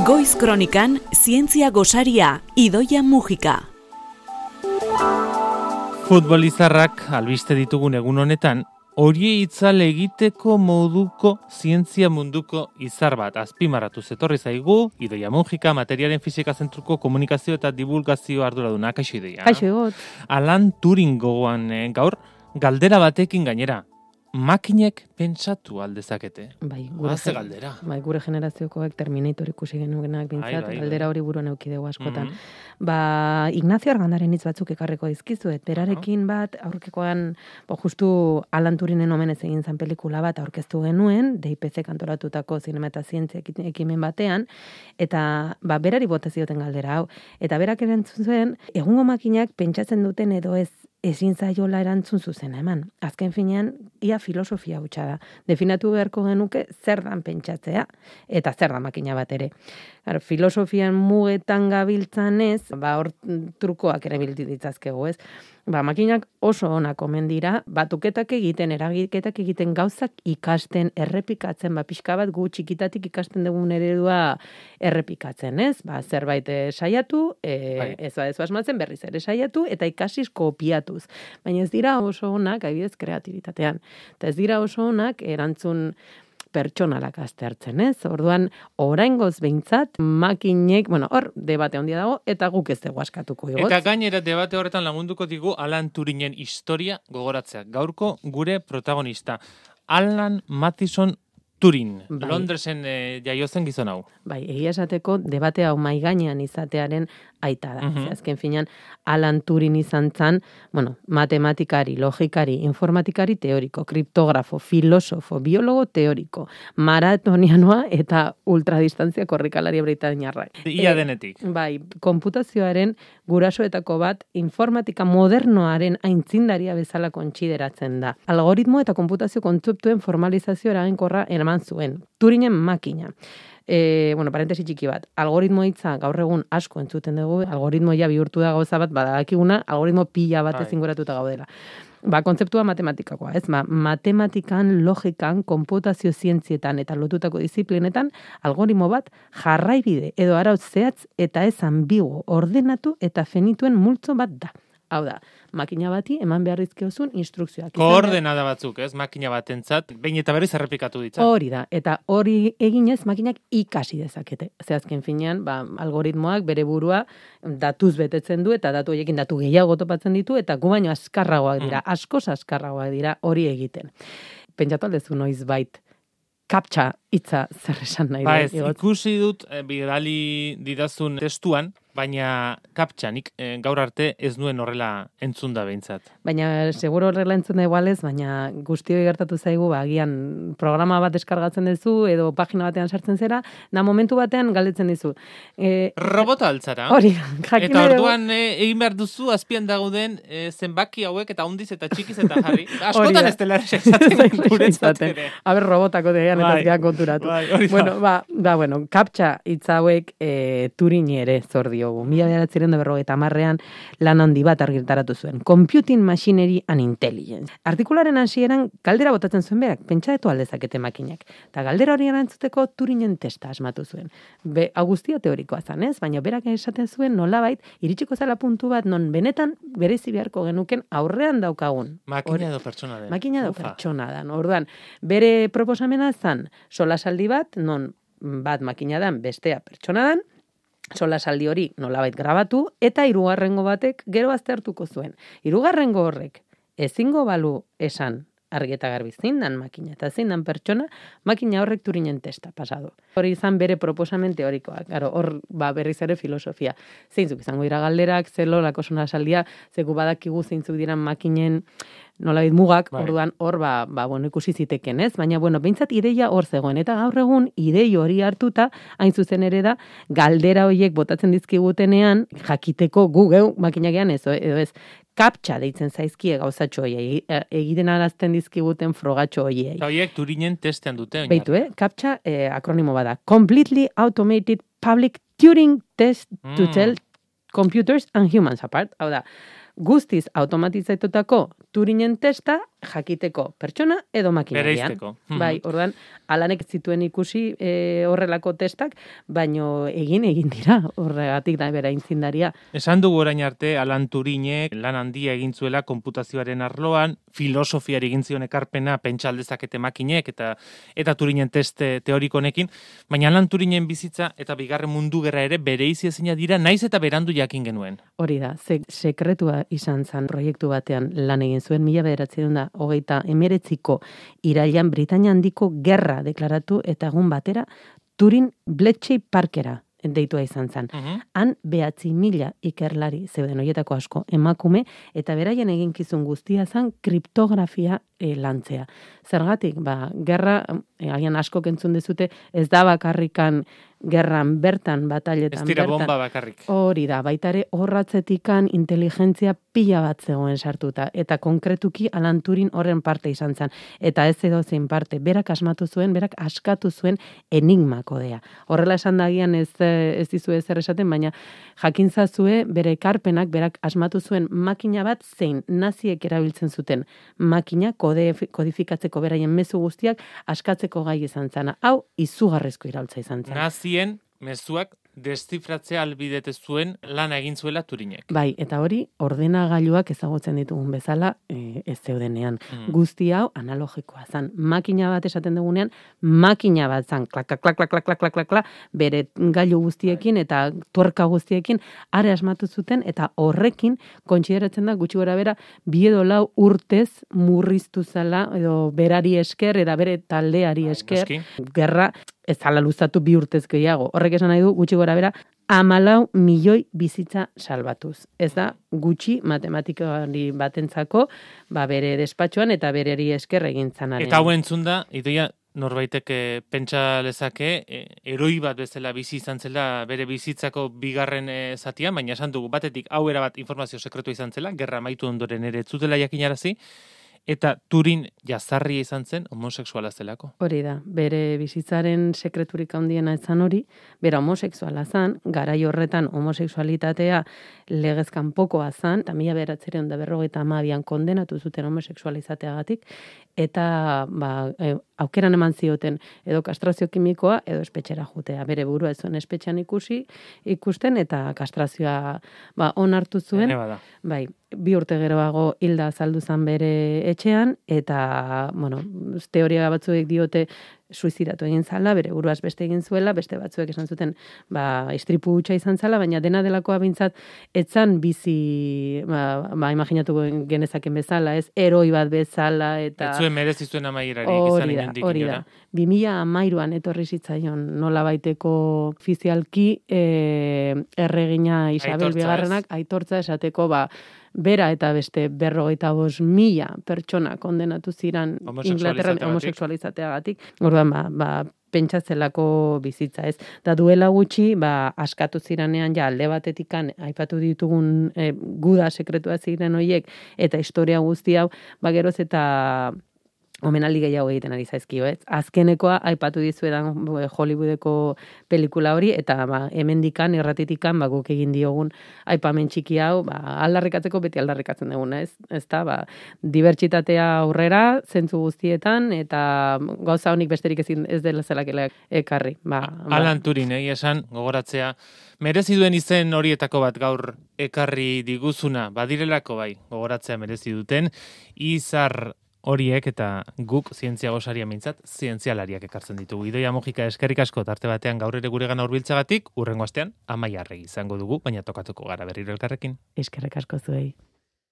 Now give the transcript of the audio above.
Goiz Kronikan, zientzia gosaria, Idoia Mujika. Futbolizarrak albiste ditugun egun honetan, hori itzal egiteko moduko zientzia munduko izar bat azpimarratu zetorri zaigu, Idoia Mujika, materialen fisika zentruko komunikazio eta divulgazio arduraduna. Kaixo Idoia. Kaixo egot. Alan Turing gogoan gaur, galdera batekin gainera. Makinek pentsatu aldezakete. Bai, galdera. Bai, gure generaziokoak Terminator ikusi genuenak bintzat, galdera hori buruan eduki dugu askotan. Ignacio Argandaren hitz batzuk ekarriko dizkizuet, berarekin bat, aurkekoan, justu Alan Turingen omenez egin zan pelikula bat aurkeztu genuen, DIPC kantoratutako zinema eta zientzia ekimen batean, eta berari bota zioten galdera hau. Eta berak erantzun zuen, egungo makinak pentsatzen duten edo ezin zaiola erantzun zuzena eman. Azken finean, ia filosofia hutsa da. Definatu beharko genuke zer dan pentsatzea, eta zer da makina bat ere. Filosofian mugetan gabiltzan ez, hor trukoak ere bildi ditzazkegu ez. Makinak oso onak omen dira, batuketak egiten, eragiketak egiten, gauzak ikasten, errepikatzen, pixka bat gu txikitatik ikasten dugun eredua errepikatzen, ez? Zerbait saiatu, ez asmatzen berriz ere saiatu, eta ikasiz kopiatuz. Baina ez dira oso onak, adibidez, kreatibitatean. Eta ez dira oso onak erantzun pertsonalak aztertzen, ez? Orduan, oraingoz behintzat, makinek, hor, debate handia dago, eta guk ez dugu askatuko igotz. Eta gainera, debate horretan lagunduko digu Alan Turingen historia gogoratzea. Gaurko gure protagonista, Alan Mathison Turing, Londresen jaiozen gizon hau. Bai, egia esateko, debate hau mai gainean izatearen aita da. Azken finean, Alan Turing izan zan, matematikari, logikari, informatikari teoriko, kriptografo, filosofo, biologo teoriko, maratonianoa eta ultradistantzia korrikalari britainiarra. Ia denetik. Bai, konputazioaren gurasoetako bat informatika modernoaren aintzindaria bezala kontsideratzen da. Algoritmo eta konputazio kontzeptuen formalizazio eraginkorra eraman zuen. Turingen makina. Parentesi txiki bat, algoritmo hitza gaur egun asko entzuten dugu, algoritmo ja bihurtu da gauza bat, badakiguna, algoritmo pila bat ezinguratuta gaudela. Kontzeptua matematikakoa, ez? Matematikan, logikan, konputazio zientzietan eta lotutako disiplinetan, algoritmo bat jarraibide edo arauz zehatz eta ez ambigu, ordenatu eta finituen multzo bat da. Hau da, makina bati eman behar dizkiozun instrukzioak. Koordenada batzuk, ez? Makina batentzat, behin eta berriz errepikatu ditza. Hori da, eta hori eginez makinak ikasi dezakete. Azken finean, algoritmoak bere burua datuz betetzen du, eta datu horiekin datu gehiago topatzen ditu, eta gu baino askarragoak dira, askoz askarragoak dira hori egiten. Pentsatu aldezu noiz bait, kaptxa hitza zer esan nahi da. Ikusi dut bidali didazun testuan, baina kaptxanik gaur arte ez nuen horrela entzunda behintzat. Baina seguro horrela entzunda igualez, baina guztioi gertatu zaigu, agian programa bat deskargatzen duzu edo pagina batean sartzen zera, momentu batean galdetzen dizu. Robota altzara. Hori, eta orduan egin behar duzu azpian dagoen zenbaki hauek eta hundiz eta txikiz eta jarri. Askotan ez dela esaten guretzat ere. Aber robotako degean eta ez konturatu. Kaptxa hitza hauek Turing ere zordi. 1950ean lan handi bat argitaratu zuen. Computing Machinery and Intelligence. Artikularen hasieran galdera botatzen zuen berak, pentsatu aldezakete makinak. Eta galdera hori erantzuteko Turingen testa asmatu zuen. Guztia teorikoa zan, ez? Baina berak esaten zuen nolabait iritsiko zela puntu bat non benetan berezi beharko genuken aurrean daukagun. Makina edo pertsona den. Makina edo pertsona den. Orduan, bere proposamena zan solasaldi bat, non bat makina dan, bestea pertsona dan, solasaldi hori nolabait grabatu, eta hirugarrengo batek gero aztertuko zuen. Hirugarrengo horrek ezingo balu esan argi eta garbi zein dan makina, eta zein dan pertsona, makina horrek Turingen testa pasadu. Hori izan bere proposamen teorikoak. Hor berriz ere filosofia. Zeintzuk izango dira galderak, zelolako solasaldia, zeku badakigu zeintzuk diran makinen nolabait mugak, orduan hor ikusi ziteken, ez? Baina behintzat ideia hor zegoen, eta gaur egun idei hori hartuta, hain zuzen ere da, galdera horiek botatzen dizkigutenean, jakiteko gu geu makinagean edo ez, kaptxa deitzen zaizkie gauzatxo horiei, egiten arazten dizkiguten frogatxo horiei. Eta horiek Turingen testean dute. Beitu, kaptxa akronimo bada. Completely Automated Public Turing Test to Tell Computers and Humans Apart. Hau da, guztiz automatizatutako Turingen testa jakiteko pertsona edo makinarian. Bereizteko. Bai, orduan, Alanek zituen ikusi horrelako testak, baino egin dira, horregatik da bera intzindaria. Esan dugu orain arte, Alan Turinek lan handia egin zuela konputazioaren arloan, filosofiari egin zion ekarpena pentsa aldezakete makinek eta Turinen teste teoriko honekin, baina Alan Turinen bizitza eta bigarren mundu gerra ere bereizi ezina dira, naiz eta berandu jakin genuen. Hori da, sekretua izan zan proiektu batean lan egin zuen 1939ko irailean Britainia handiko gerra deklaratu eta egun batera Turin Bletchley Parkera deitua izan zen. Han 9.000 ikerlari zeuden horietako asko emakume eta beraien eginkizun guztia zen kriptografia lantzea. Zergatik, gerra, agian asko kentzun dezute, ez da bakarrikan gerran bertan, batailetan bertan. Ez dira bomba bakarrik. Hori da, baita ere horratzetikan inteligentzia pila bat zegoen sartuta. Eta konkretuki Alan Turing horren parte izan zen. Eta ez edozein parte, berak askatu zuen enigma kodea. Horrela esan dagian ez dizue zer esaten, baina jakintzazue bere ekarpenak berak asmatu zuen makina bat zein naziek erabiltzen zuten makina kodifikatzeko beraien mezu guztiak askatzeko gai izan zana. Hau izugarrizko iraultza izan zen. Nazien mezuak deszifratzea albidete zuen lana egin zuela Turinek. Bai, eta hori ordenagailuak ezagutzen ditugun bezala ez zeudenean. Guzti hau analogikoa zan. Makina bat esaten dugunean, makina bat zan, klak, klak, klak, klak, klak, klak, klak, klak, bere gailu guztiekin eta tuerka guztiekin are asmatu zuten eta horrekin kontsideratzen da gutxi gora bera 2 edo 4 urtez murriztu zala edo berari esker eta bere taldeari esker gerra ez ala luzatu 2 urtez gehiago. Horrek esan nahi du gutxi gora bera 14 milioi bizitza salbatuz. Ez da gutxi matematikari batentzako bere despatxoan eta bereri esker egin zanaren. Eta hau entzunda, Idoia, norbaitek pentsa lezake, eroi bat bezala bizi izan zela bere bizitzako bigarren zatian, baina esan dugu batetik hau erabat informazio sekretua izan zela, gerra amaitu ondoren ere zutela jakinarazi, eta Turing jazarria izan zen homosexuala zelako. Hori da, bere bizitzaren sekreturik handiena etzan hori, bera homosexuala zan, garai horretan homosexualitatea legez kanpokoa zan, eta 1952an kondenatu zuten homosexualizateagatik, eta aukeran eman zioten edo kastrazio kimikoa edo espetxera jutea. Bere burua ez zuen espetxean ikusten eta kastrazioa onartu zuen. Bai, 2 urte geroago hilda azaldu zan bere etxean eta, teoria batzuek diote suizidatu egin zala, bere buruaz beste egin zuela, beste batzuek esan zuten, istripu hutsa izan zala, baina dena delakoa bintzat, etzan bizi, imaginatu genezaken bezala, ez, eroi bat bezala, eta... Ez zuen merezi zuen amaierari izan ingendik. Hori da, 2013an etorri zitzaion nola baiteko ofizialki erregina Isabel Bigarrenak aitortza esateko, bera eta beste 55.000 pertsona kondenatu ziran Inglaterran homosexualizateagatik. Orduan, pentsatzelako bizitza, ez. Da duela gutxi, askatu ziranean alde batetikan aipatu ditugun guda sekretua ziren hoiek eta historia guzti hau, geroz eta omenaldi gehiago egiten ari zaizkio, ez? Azkenekoa aipatu dizuedan Hollywoodeko pelikula hori, eta hemendikan, irratitikan, guk egin diogun aipamen txiki hau, aldarrikatzeko beti aldarrikatzen duguna, ez? Ezta, dibertsitatea aurrera, zentzu guztietan, eta gauza honik besterik ez dela zelakela ekarri. Alan Turing, esan, gogoratzea, merezi duen izen horietako bat gaur ekarri diguzuna, badirelako gogoratzea merezi duten, izar horiek eta guk zientzia gosaria mintzat, zientzialariak ekartzen ditugu. Idoia Mujika eskerrik asko tarte batean gaur ere guregana hurbiltzagatik, hurrengo astean Amaia Arregi izango dugu, baina tokatuko gara berriro elkarrekin. Eskerrik asko zuei.